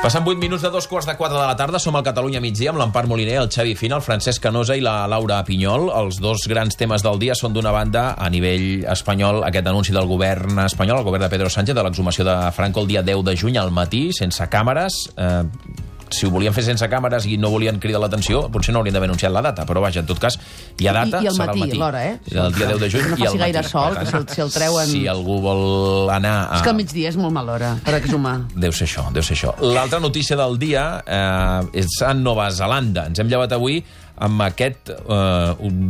Passen 8 minuts de 3:45 de la tarda. Som al Catalunya migdia amb l'Empar Moliner, el Xavi Fina, el Francesc Canosa i la Laura Pinyol. Els dos grans temes del dia són, d'una banda, a nivell espanyol, aquest anunci del govern espanyol, el govern de Pedro Sánchez, de l'exhumació de Franco el dia 10 de juny al matí, sense càmeres. Si ho volien fer sense càmeres i no volien cridar l'atenció, potser no haurien d'haver anunciat la data, però vaja, en tot cas, hi ha data, I el serà al matí. l'hora, El dia 10 de juny no i al faci matí. gaire sol, que si el treuen... Si algú vol anar a... És que al migdia és molt mala hora per exhumar. Deu ser això. L'altra notícia del dia és a Nova Zelanda. Ens hem llevat avui amb aquest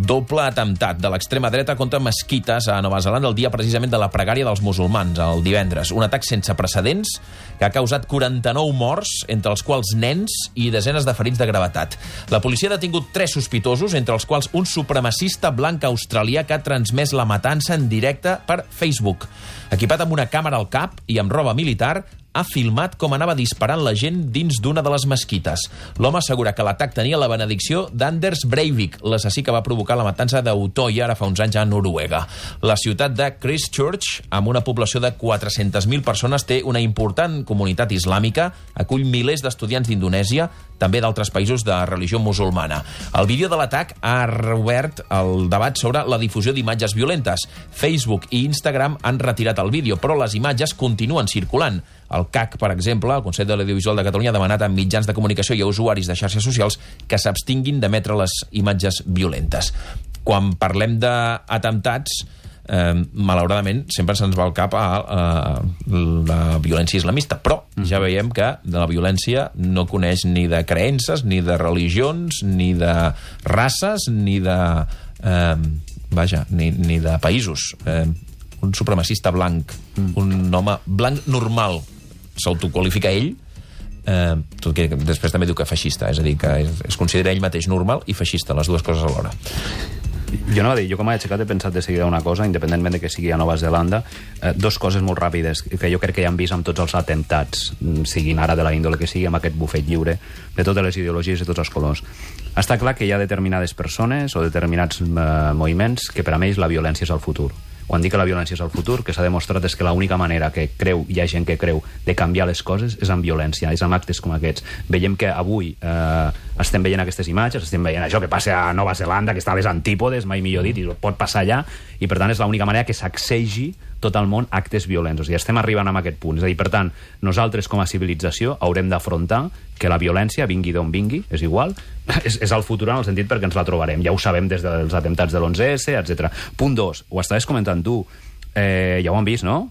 doble atemptat de l'extrema dreta contra mesquites a Nova Zelanda el dia precisament de la pregària dels musulmans, el divendres. Un atac sense precedents que ha causat 49 morts, entre els quals nens, i desenes de ferits de gravetat. La policia ha detingut 3 sospitosos, entre els quals un supremacista blanc australià que ha transmès la matança en directe per Facebook. Equipat amb una càmera al cap i amb roba militar, ha filmat com anava disparant la gent dins d'una de les mesquites. L'home assegura que l'atac tenia la benedicció d'Anders Breivik, l'assassí que va provocar la matança d'Utoya ara fa uns anys a Noruega. La ciutat de Christchurch, amb una població de 400.000 persones, té una important comunitat islàmica, acull milers d'estudiants d'Indonèsia, també d'altres països de religió musulmana. El vídeo de l'atac ha reobert el debat sobre la difusió d'imatges violentes. Facebook i Instagram han retirat el vídeo, però les imatges continuen circulant. El CAC, per exemple, el Consell de l'Audiovisual de Catalunya, ha demanat a mitjans de comunicació i a usuaris de xarxes socials que s'abstinguin d'emetre les imatges violentes. Quan parlem d'atemptats, malauradament, sempre se'ns va al cap a la violència islamista, però ja veiem que la violència no coneix ni de creences, ni de religions, ni de races, ni de... ni de països. Un supremacista blanc, un home blanc normal, s'autoqualifica ell, tot que després també diu que feixista, és a dir, que es considera ell mateix normal i feixista, les dues coses alhora. Jo no va dir, jo com a aixecat he pensat de seguida una cosa, independentment de que sigui a Nova Zelanda, dos coses molt ràpides, que jo crec que ja hem vist amb tots els atemptats, siguin ara de la índole que sigui, amb aquest bufet lliure, de totes les ideologies i tots els colors. Està clar que hi ha determinades persones o determinats moviments que per a ells la violència és el futur. Quan dic que la violència és el futur, que s'ha demostrat és que l'única manera que hi ha gent que creu de canviar les coses és amb violència, és amb actes com aquests. Veiem que avui estem veient aquestes imatges, estem veient això que passa a Nova Zelanda, que està a les antípodes, mai millor dit, i pot passar allà, i per tant és l'única manera que s'accegi tot el món actes violents. O sigui, estem arribant a aquest punt. És a dir, per tant, nosaltres com a civilització haurem d'afrontar que la violència, vingui d'on vingui, és igual, és el futur en el sentit perquè ens la trobarem. Ja ho sabem des dels atemptats de l'11S, etc. Punt 2, ho estaves comentant tu, ja ho han vist, no?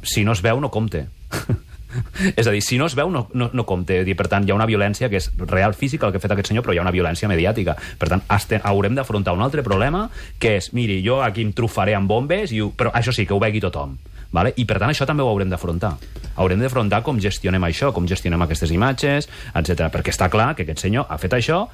Si no es veu, no compte. És a dir, si no es veu, no compte. Per tant, hi ha una violència que és real física, el que ha fet aquest senyor, però hi ha una violència mediàtica. Per tant, haurem d'afrontar un altre problema, que és, miri, jo aquí em trufaré amb bombes, però això sí, que ho vegi tothom. Vale? I per tant això també ho haurem d'afrontar. Haurem d'afrontar com gestionem això, com gestionem aquestes imatges, etc. Perquè està clar que aquest senyor ha fet això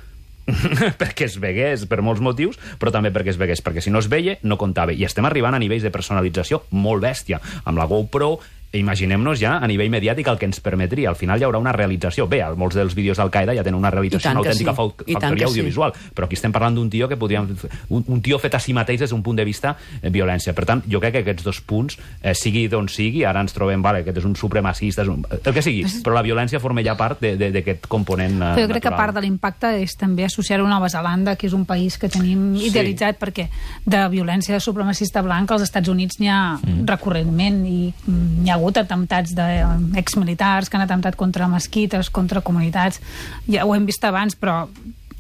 perquè es vegués per molts motius, però també perquè es vegués, perquè si no es veia no comptava. I estem arribant a nivells de personalització molt bèstia, amb la GoPro. Imaginem-nos ja a nivell mediàtic el que ens permetria. Al final hi haurà una realització. Bé, molts dels vídeos d'Al-Qaeda ja tenen una realització, una autèntica factoria audiovisual, però aquí estem parlant d'un tio que podríem... Un tio fet a si mateix des d'un punt de vista violència. Per tant, jo crec que aquests dos punts, sigui d'on sigui, ara ens trobem, vale, aquest és un supremacista, el que sigui, però la violència forma ja part d'aquest component natural. Jo crec que part de l'impacte és també associar-ho a Nova Zelanda, que és un país que tenim idealitzat, perquè de violència de supremacista blanc als Estats Units n'hi ha recurrentment, i n'hi ha hagut atemptats d'exmilitars que han atemptat contra mesquites, contra comunitats. Ja ho hem vist abans, però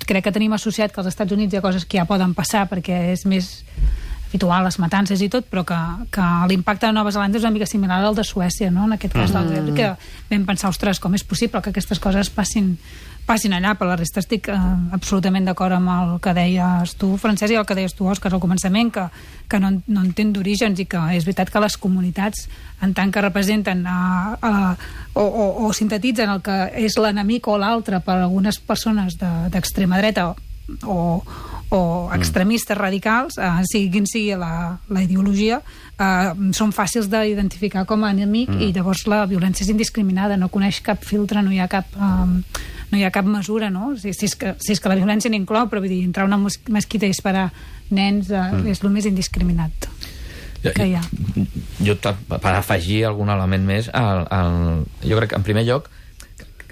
crec que tenim associat que als Estats Units hi ha coses que ja poden passar perquè és més habitual, les matances i tot, però que l'impacte de Nova Zelanda és una mica similar al de Suècia, no? En aquest cas del Breivik, que vam pensar, ostres, com és possible que aquestes coses passin allà. Per la resta estic absolutament d'acord amb el que deies tu, Francesc, i el que deies tu, Òscar, al començament, que no entén d'orígens, i que és veritat que les comunitats, en tant que representen o sintetitzen el que és l'enemic o l'altre per algunes persones d'extrema dreta o extremistes radicals, sigui la ideologia, són fàcils d'identificar com a enemic, i llavors la violència és indiscriminada, no coneix cap filtre, no hi ha cap mesura, no? Si és que la violència n'inclou, però vull dir, entrar a una mesquita i disparar nens és el més indiscriminat que hi ha. Jo, per afegir algun element més, jo crec que, en primer lloc,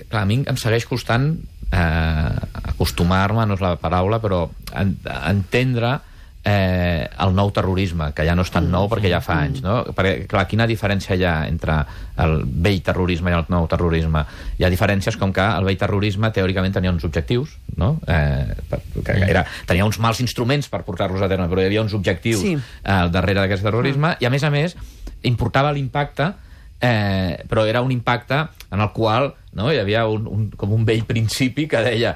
clar, a mi em segueix costant acostumar-me, no és la paraula, però entendre el nou terrorisme, que ja no és tan nou perquè ja fa anys, no? Perquè, clar, quina diferència hi ha entre el vell terrorisme i el nou terrorisme? Hi ha diferències com que el vell terrorisme teòricament tenia uns objectius, no? Tenia uns mals instruments per portar-los a terme, però hi havia uns objectius darrere d'aquest terrorisme, i a més importava l'impacte, però era un impacte en el qual hi havia com un vell principi que deia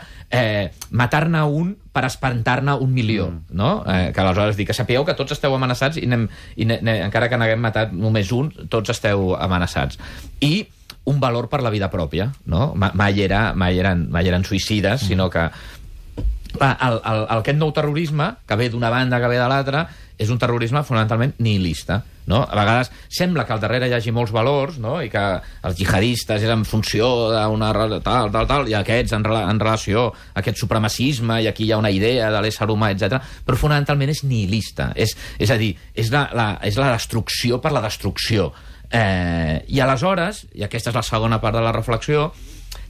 matar-ne un per espantar-ne 1 milió, no? Que aleshores dic que sapigueu que tots esteu amenaçats i encara que n'haguem matat només un, tots esteu amenaçats. I un valor per la vida pròpia, no? Mai eren suïcides, sinó que aquest nou terrorisme, que ve d'una banda, que ve de l'altra, és un terrorisme fonamentalment nihilista, no? A vegades sembla que al darrere hi hagi molts valors, no? I que els jihadistes és en funció d'una tal, i aquests en relació a aquest supremacisme, i aquí hi ha una idea de l'ésser humà, etc. Però fonamentalment és nihilista. És a dir, és la destrucció per la destrucció. I aleshores, i aquesta és la segona part de la reflexió,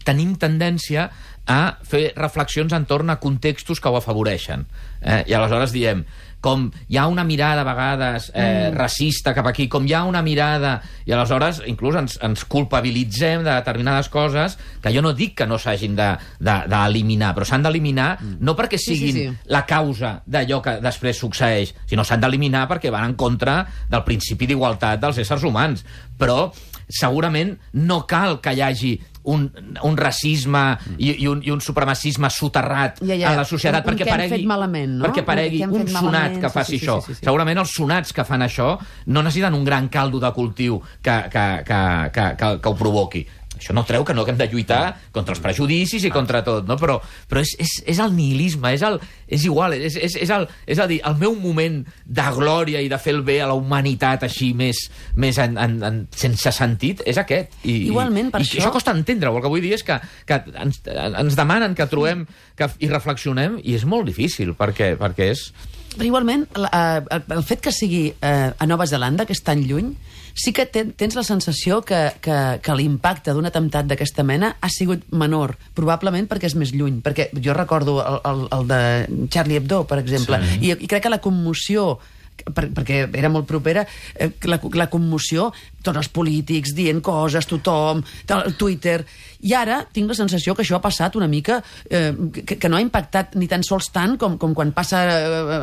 tenim tendència a fer reflexions entorn a contextos que ho afavoreixen. I aleshores diem, com hi ha una mirada a vegades racista cap aquí, com hi ha una mirada, i aleshores inclús ens culpabilitzem de determinades coses que jo no dic que no s'hagin d'eliminar, però s'han d'eliminar no perquè siguin la causa d'allò que després succeeix, sinó s'han d'eliminar perquè van en contra del principi d'igualtat dels éssers humans. Però segurament no cal que hi hagi un racisme i un supremacisme soterrat a la societat perquè paregui un sonat que faci això. Segurament els sonats que fan això no necessiten un gran caldo de cultiu que ho provoqui. Això no treu que no haguem de lluitar contra els prejudicis i contra tot, no? Però és el nihilisme, és igual, és a dir, el meu moment de glòria i de fer el bé a la humanitat així més sense sentit és aquest. Igualment, per això... I això costa entendre-ho. El que vull dir és que ens demanen que trobem i reflexionem, i és molt difícil, perquè és... Però igualment, el fet que sigui a Nova Zelanda, que és tan lluny, sí que tens la sensació que l'impacte d'un atemptat d'aquesta mena ha sigut menor, probablement perquè és més lluny. Perquè jo recordo el de Charlie Hebdo, per exemple, i crec que la commoció, perquè era molt propera, la commoció, tots els polítics dient coses, tothom, Twitter... I ara tinc la sensació que això ha passat una mica, que no ha impactat ni tan sols tant com quan passa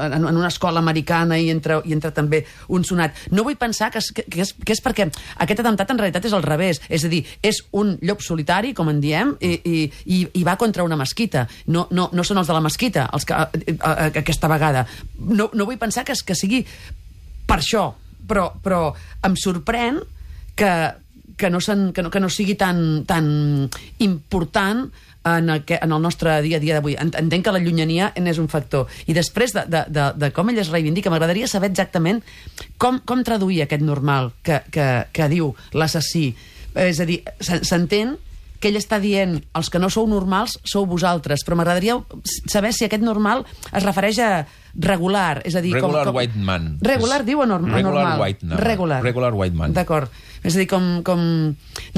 en una escola americana i entra també un sonat. No vull pensar que és perquè aquest atemptat en realitat és al revés. És a dir, és un llop solitari, com en diem, i va contra una mesquita. No són els de la mesquita aquesta vegada. No vull pensar que sigui per això, però em sorprèn que no sigui tan important en el nostre dia a dia d'avui. Entenc que la llunyania n'és un factor. I després de com ell es reivindica, m'agradaria saber exactament com traduir aquest normal que diu l'assassí. És a dir, s'entén que ell està dient els que no sou normals sou vosaltres, però m'agradaria saber si aquest normal es refereix a regular, és a dir... Regular white man. Regular diu o normal? Regular white man. D'acord. És a dir,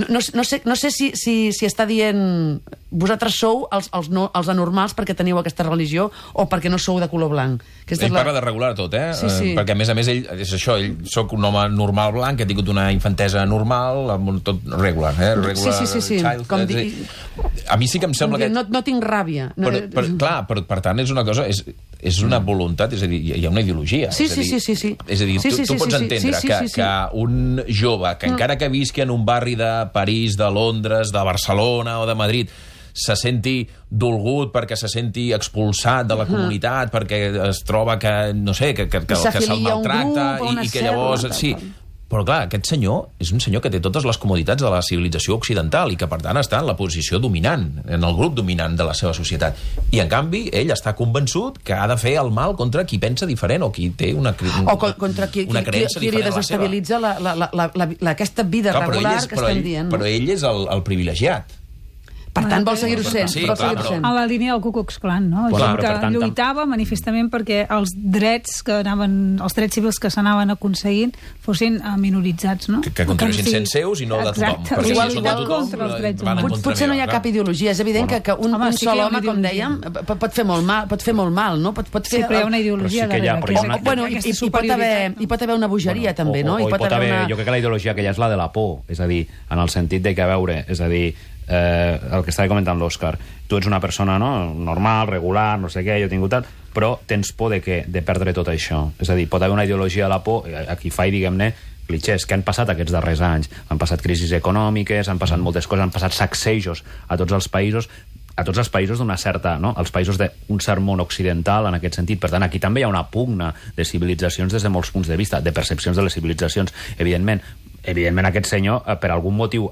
no sé si està dient vosaltres sou els anormals perquè teniu aquesta religió o perquè no sou de color blanc. Ell parla de regular tot, Sí. Perquè a més ell, és això, ell soc un home normal blanc que ha tingut una infantesa normal, tot regular, regular child. A mi sí que em sembla que... No tinc ràbia. Clar, però per tant és una cosa... És una voluntat, és a dir, hi ha una ideologia. Sí. És a dir, tu pots entendre que un jove que encara que visqui en un barri de París, de Londres, de Barcelona o de Madrid, se senti dolgut perquè se senti expulsat de la comunitat, perquè es troba que, no sé, que se'l maltracta i que llavors... Sí. Però clar, aquest senyor és un senyor que té totes les comoditats de la civilització occidental i que per tant està en la posició dominant, en el grup dominant de la seva societat. I en canvi ell està convençut que ha de fer el mal contra qui pensa diferent o qui té una creença diferent qui li desestabilitza aquesta vida regular que estem dient. Però ell és el privilegiat. Per tant, vol seguir-ho sent. Sí, vol clar, seguir-ho però- sent. A la línia del Ku Klux Klan, no? Bueno, Gent però, que per tant, lluitava manifestament perquè els drets civils que s'anaven aconseguint fossin minoritzats, no? Que continuessin Sí. sent seus i no de tothom. Exacte. Perquè si Igual, són de tothom, contra els drets van en humans. contra Potser no hi ha meva, cap ideologia. És evident que un Home, sí sol que hi ha home, una com ideologia. dèiem, pot fer molt mal, no? Pot Sí, fer... però hi ha una ideologia Però sí que hi ha, darrere. perquè que és una- Bueno, aquesta hi pot haver una bogeria, també, no? O hi pot haver... Jo crec que la ideologia que hi ha és la de la por, és a dir, en el sentit de que, a veure, és a dir, el que estava comentant l'Òscar, tu ets una persona normal, regular, no sé què, jo he tingut tant, però tens por de perdre tot això. És a dir, pot haver una ideologia de la por, aquí fa, diguem-ne, clichés, que han passat aquests darrers anys. Han passat crisis econòmiques, han passat moltes coses, han passat sacsejos a tots els països d'una certa, no? Els països d'un cert món occidental en aquest sentit. Per tant, aquí també hi ha una pugna de civilitzacions des de molts punts de vista, de percepcions de les civilitzacions. Evidentment, aquest senyor, per algun motiu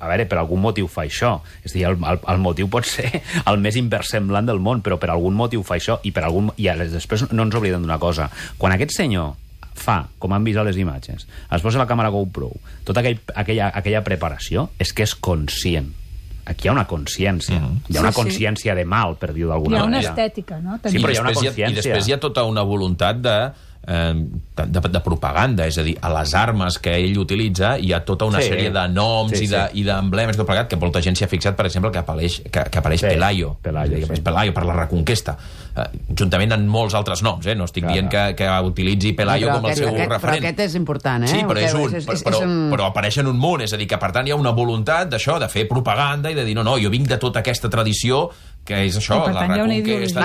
fa això. És a dir, el motiu pot ser el més inversemblant del món, però per algun motiu fa això, i després no ens oblidem d'una cosa. Quan aquest senyor fa, com han vist a les imatges, es posa la càmera GoPro, tota aquella preparació, és que és conscient. Aquí hi ha una consciència. Hi ha una consciència de mal, per dir-ho d'alguna manera. manera. Hi ha una estètica, no? Sí, però hi ha una i després hi ha tota una voluntat de propaganda, és a dir, a les armes que ell utilitza hi ha tota una sèrie de noms i d'emblemes tot plegat, que molta gent s'hi ha fixat, per exemple, que apareix Pelayo, per la Reconquesta, juntament amb molts altres noms, no estic dient que utilitzi Pelayo com el seu referent. Però aquest és important, Sí, però però apareixen un munt, és a dir, que per tant hi ha una voluntat d'això, de fer propaganda i de dir, no, jo vinc de tota aquesta tradició que és això, la Reconquesta...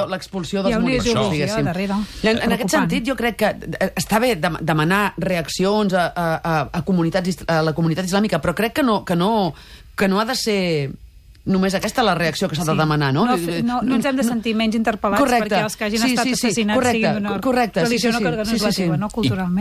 L'expulsió dels moriscos, diguéssim. En aquest sentit, jo crec que està bé demanar reaccions a la comunitat islàmica, però crec que no ha de ser només aquesta la reacció que s'ha de demanar, no? No ens hem de sentir menys interpel·lats perquè els que hagin estat assassinats siguin d'una religió que no és la seva, no? Culturalment.